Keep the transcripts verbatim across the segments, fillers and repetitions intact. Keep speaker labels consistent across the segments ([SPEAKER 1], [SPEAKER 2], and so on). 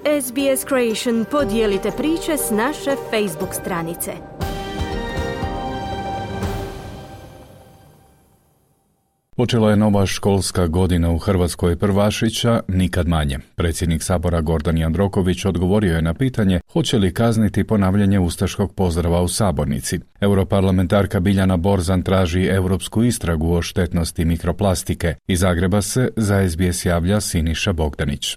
[SPEAKER 1] S B S Creation podijelite priče s naše Facebook stranice.
[SPEAKER 2] Počela je nova školska godina u Hrvatskoj. Prvašića nikad manje. Predsjednik Sabora Gordan Jandroković odgovorio je na pitanje hoće li kazniti ponavljanje ustaškog pozdrava u sabornici. Europarlamentarka Biljana Borzan traži europsku istragu o štetnosti mikroplastike. Iz Zagreba se za S B S javlja Siniša Bogdanić.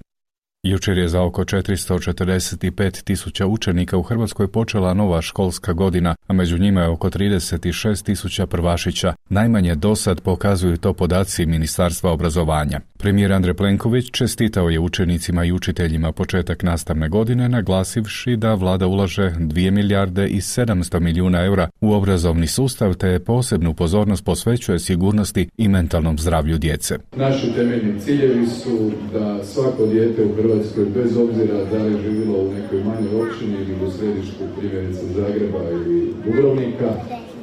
[SPEAKER 2] Jučer je za oko četiristo četrdeset pet tisuća učenika u Hrvatskoj počela nova školska godina, a među njima je oko trideset šest tisuća prvašića. Najmanje dosad pokazuju to podaci Ministarstva obrazovanja. Premijer Andrej Plenković čestitao je učenicima i učiteljima početak nastavne godine, naglasivši da vlada ulaže dvije milijarde i sedamsto milijuna eura u obrazovni sustav te posebnu pozornost posvećuje sigurnosti i mentalnom zdravlju djece.
[SPEAKER 3] Naši temeljni ciljevi su da svako dijete u Hrvatskoj, bez obzira da li živjelo u nekoj manjoj općini ili u središtu, primjerice Zagreba ili Dubrovnika,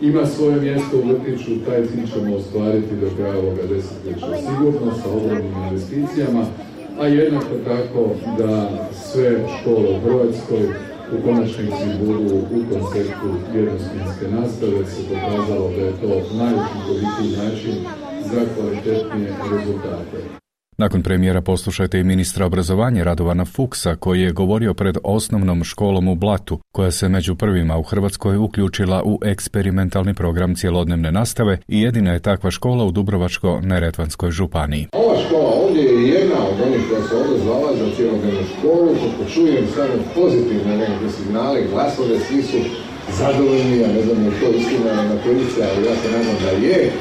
[SPEAKER 3] ima svoje mjesto u vrtiću. Taj cilj ćemo ostvariti do kraja ovoga desetljeća sigurno sa ogromnim investicijama, a jednako tako da sve škole u Hrvatskoj u konačnici budu u konceptu jednosmjenske nastave. Se pokazalo da je to najučinkovitiji način za kvalitetnije rezultate.
[SPEAKER 2] Nakon premijera poslušajte i ministra obrazovanja Radovana Fuchsa koji je govorio pred osnovnom školom u Blatu, koja se među prvima u Hrvatskoj uključila u eksperimentalni program cjelodnevne nastave i jedina je takva škola u Dubrovačko-neretvanskoj županiji.
[SPEAKER 4] Ova škola ovdje je jedna od onih koja se ovdje zvala za cjelodnevnu školu. Kako čujem samo pozitivne nekakve signale, glasove, svi su zadovoljni, ja ne znam je to istina na policija, ali ja se nadam da je.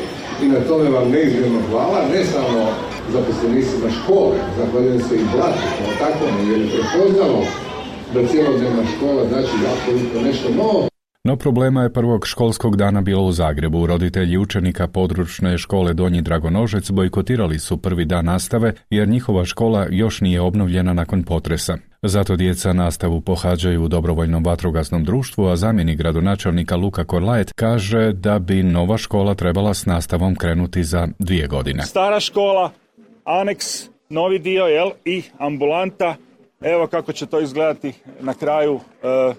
[SPEAKER 4] I na tome vam neizmjerno hvala, ne samo zaposlenicima škole, zahvaljujem se i Blatu kao takvom, jer je prepoznalo da cjelodnevna škola znači apsolutno nešto novo.
[SPEAKER 2] No problema je prvog školskog dana bilo u Zagrebu. Roditelji učenika područne škole Donji Dragonožec bojkotirali su prvi dan nastave jer njihova škola još nije obnovljena nakon potresa. Zato djeca nastavu pohađaju u dobrovoljnom vatrogasnom društvu, a zamjenik gradonačelnika Luka Korlajet kaže da bi nova škola trebala s nastavom krenuti za dvije godine.
[SPEAKER 5] Stara škola, aneks, novi dio, jel, i ambulanta. Evo kako će to izgledati na kraju, e,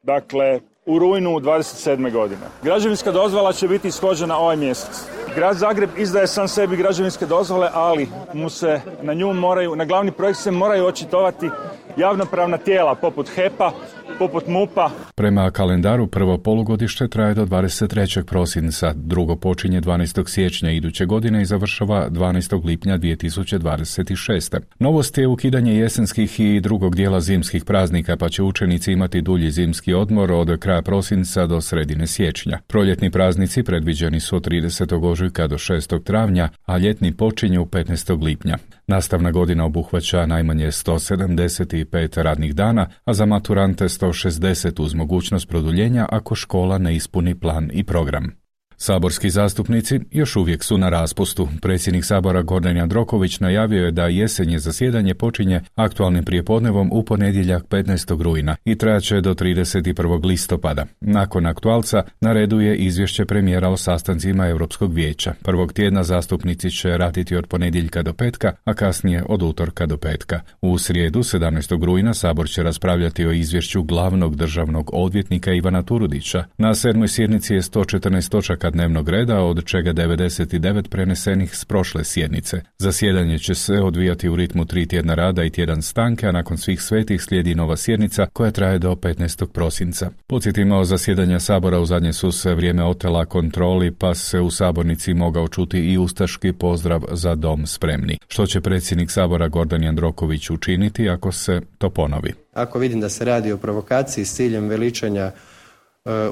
[SPEAKER 5] dakle, u rujnu dvadeset sedme godine. Građevinska dozvola će biti ishođena ovaj mjesec. Grad Zagreb izdaje sam sebi građevinske dozvole, ali mu se na nju moraju, na glavni projekt se moraju očitovati javnopravna tijela poput H E P-a, poput M U P-a.
[SPEAKER 2] Prema kalendaru prvo polugodište traje do dvadeset trećeg prosinca, drugo počinje dvanaestog siječnja iduće godine i završava dvanaestog lipnja dvije tisuće dvadeset šeste. Novost je ukidanje jesenskih i drugog dijela zimskih praznika, pa će učenici imati dulji zimski odmor od kraja prosinca do sredine siječnja. Proljetni praznici predviđeni su od tridesetog ožujka do šestog travnja, a ljetni počinju petnaestog lipnja. Nastavna godina obuhvaća najmanje sto sedamdeset pet radnih dana, a za maturante sto šezdeset uz mogućnost produljenja ako škola ne ispuni plan i program. Saborski zastupnici još uvijek su na raspustu. Predsjednik Sabora Gordan Jandroković najavio je da jesenje zasjedanje počinje aktualnim prijepodnevom u ponedjeljak petnaestog rujna i trajaće do trideset prvog listopada. Nakon aktualca na redu je izvješće premijera o sastancima Europskog vijeća. Prvog tjedna zastupnici će raditi od ponedjeljka do petka, a kasnije od utorka do petka. U srijedu sedamnaestog rujna Sabor će raspravljati o izvješću glavnog državnog odvjetnika Ivana Turudića. Na sedmoj sjednici je sto četrnaest točaka dnevnog reda, od čega devedeset devet prenesenih s prošle sjednice. Zasjedanje će se odvijati u ritmu tri tjedna rada i tjedan stanke, a nakon svih svetih slijedi nova sjednica koja traje do petnaestog prosinca. Podsjetimo, zasjedanja Sabora u zadnje su se vrijeme otela kontroli, pa se u sabornici mogao čuti i ustaški pozdrav Za dom spremni. Što će predsjednik Sabora Gordan Jandroković učiniti ako se to ponovi?
[SPEAKER 6] Ako vidim da se radi o provokaciji s ciljem veličanja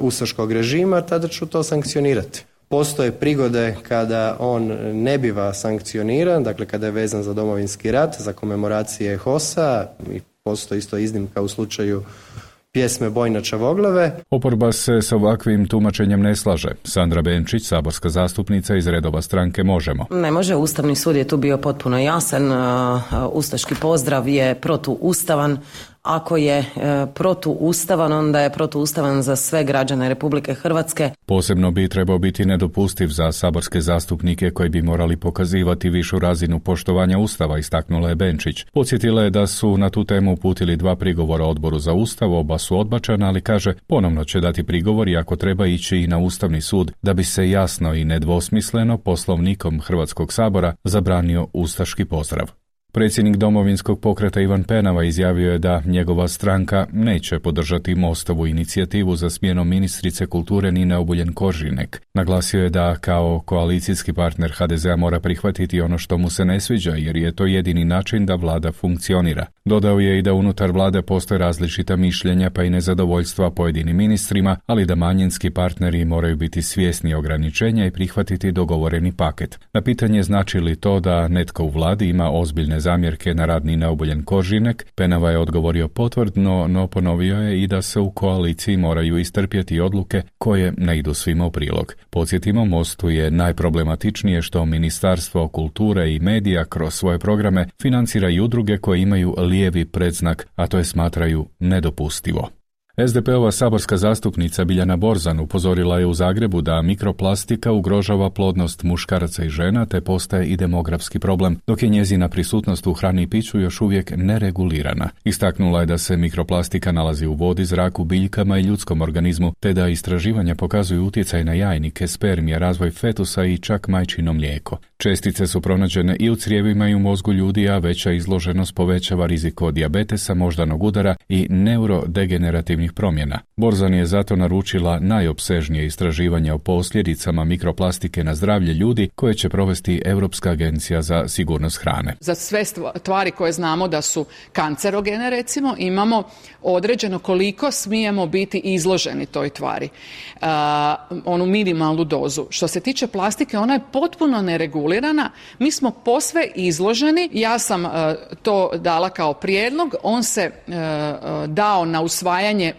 [SPEAKER 6] ustaškog režima, tada ću to sankcionirati. Postoje prigode kada on ne biva sankcioniran, dakle kada je vezan za Domovinski rat, za komemoracije H O S-a, i postoji isto iznimka u slučaju pjesme Bojna Čavoglave.
[SPEAKER 2] Oporba se s ovakvim tumačenjem ne slaže. Sandra Benčić, saborska zastupnica iz redova stranke Možemo.
[SPEAKER 7] Ne može, Ustavni sud je tu bio potpuno jasan. Ustaški pozdrav je protuustavan, ako je e, protuustavan, onda je protuustavan za sve građane Republike Hrvatske.
[SPEAKER 2] Posebno bi trebao biti nedopustiv za saborske zastupnike koji bi morali pokazivati višu razinu poštovanja Ustava, istaknula je Benčić. Podsjetila je da su na tu temu uputili dva prigovora Odboru za Ustav, oba su odbačena, ali kaže ponovno će dati prigovor i ako treba ići i na Ustavni sud da bi se jasno i nedvosmisleno Poslovnikom Hrvatskog sabora zabranio ustaški pozdrav. Predsjednik Domovinskog pokreta Ivan Penava izjavio je da njegova stranka neće podržati Mostovu inicijativu za smjenom ministrice kulture Nine Obuljen Koržinek. Naglasio je da kao koalicijski partner ha de zea mora prihvatiti ono što mu se ne sviđa jer je to jedini način da vlada funkcionira. Dodao je i da unutar vlade postoje različita mišljenja pa i nezadovoljstva pojedinim ministrima, ali da manjinski partneri moraju biti svjesni ograničenja i prihvatiti dogovoreni paket. Na pitanje znači li to da netko u vladi ima ozbiljne zamjerke na rad Nine Obuljen Koržinek, Penava je odgovorio potvrdno, no ponovio je i da se u koaliciji moraju istrpjeti odluke koje ne idu svima u prilog. Podsjetimo, Mostu je najproblematičnije što Ministarstvo kulture i medija kroz svoje programe financira i udruge koje imaju lijevi predznak, a to je smatraju nedopustivo. es de pe-ova saborska zastupnica Biljana Borzan upozorila je u Zagrebu da mikroplastika ugrožava plodnost muškaraca i žena te postaje i demografski problem, dok je njezina prisutnost u hrani i piću još uvijek neregulirana. Istaknula je da se mikroplastika nalazi u vodi, zraku, biljkama i ljudskom organizmu, te da istraživanja pokazuju utjecaj na jajnike, spermije, razvoj fetusa i čak majčino mlijeko. Čestice su pronađene i u crijevima i u mozgu ljudi, a veća izloženost povećava rizik od dijabetesa, moždanog udara i neurodegenerativnih promjena. Borzan je zato naručila najopsežnije istraživanje o posljedicama mikroplastike na zdravlje ljudi koje će provesti Europska agencija za sigurnost hrane.
[SPEAKER 8] Za sve tvari koje znamo da su kancerogene, recimo, imamo određeno koliko smijemo biti izloženi toj tvari. Uh, onu minimalnu dozu. Što se tiče plastike, ona je potpuno neregulirana. Mi smo posve izloženi. Ja sam uh, to dala kao prijedlog. On se uh, dao na usvajanje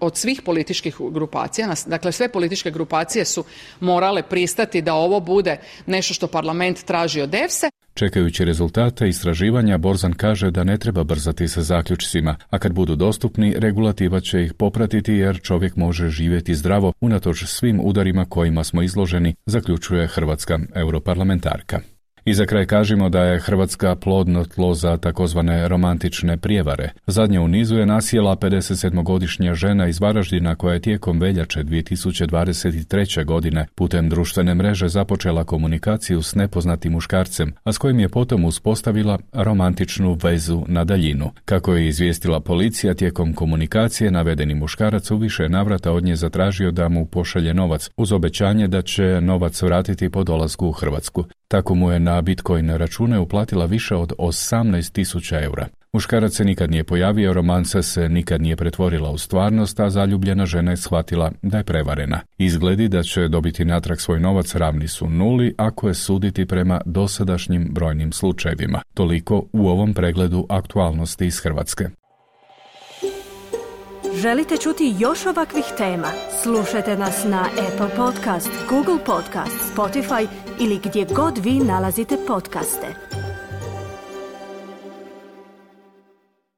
[SPEAKER 8] od svih političkih grupacija. Dakle, sve političke grupacije su morale pristati da ovo bude nešto što parlament traži od E F S E.
[SPEAKER 2] Čekajući rezultate istraživanja, Borzan kaže da ne treba brzati sa zaključcima, a kad budu dostupni, regulativa će ih popratiti jer čovjek može živjeti zdravo unatoč svim udarima kojima smo izloženi, zaključuje hrvatska europarlamentarka. I za kraj kažemo da je Hrvatska plodno tlo za takozvane romantične prijevare. Zadnja u nizu je nasjela pedesetsedmogodišnja žena iz Varaždina koja je tijekom veljače dvije tisuće dvadeset treće. godine putem društvene mreže započela komunikaciju s nepoznatim muškarcem, a s kojim je potom uspostavila romantičnu vezu na daljinu. Kako je izvijestila policija, tijekom komunikacije navedeni muškarac u više navrata od nje zatražio da mu pošalje novac, uz obećanje da će novac vratiti po dolasku u Hrvatsku. Tako mu je na Bitcoin račune uplatila više od osamnaest tisuća eura. Muškarac se nikad nije pojavio, romansa se nikad nije pretvorila u stvarnost, a zaljubljena žena je shvatila da je prevarena. Izgledi da će dobiti natrag svoj novac ravni su nuli ako je suditi prema dosadašnjim brojnim slučajevima. Toliko u ovom pregledu aktualnosti iz Hrvatske.
[SPEAKER 1] Želite čuti još ovakvih tema? Slušajte nas na Apple Podcast, Google Podcast, Spotify ili gdje god vi nalazite podcaste.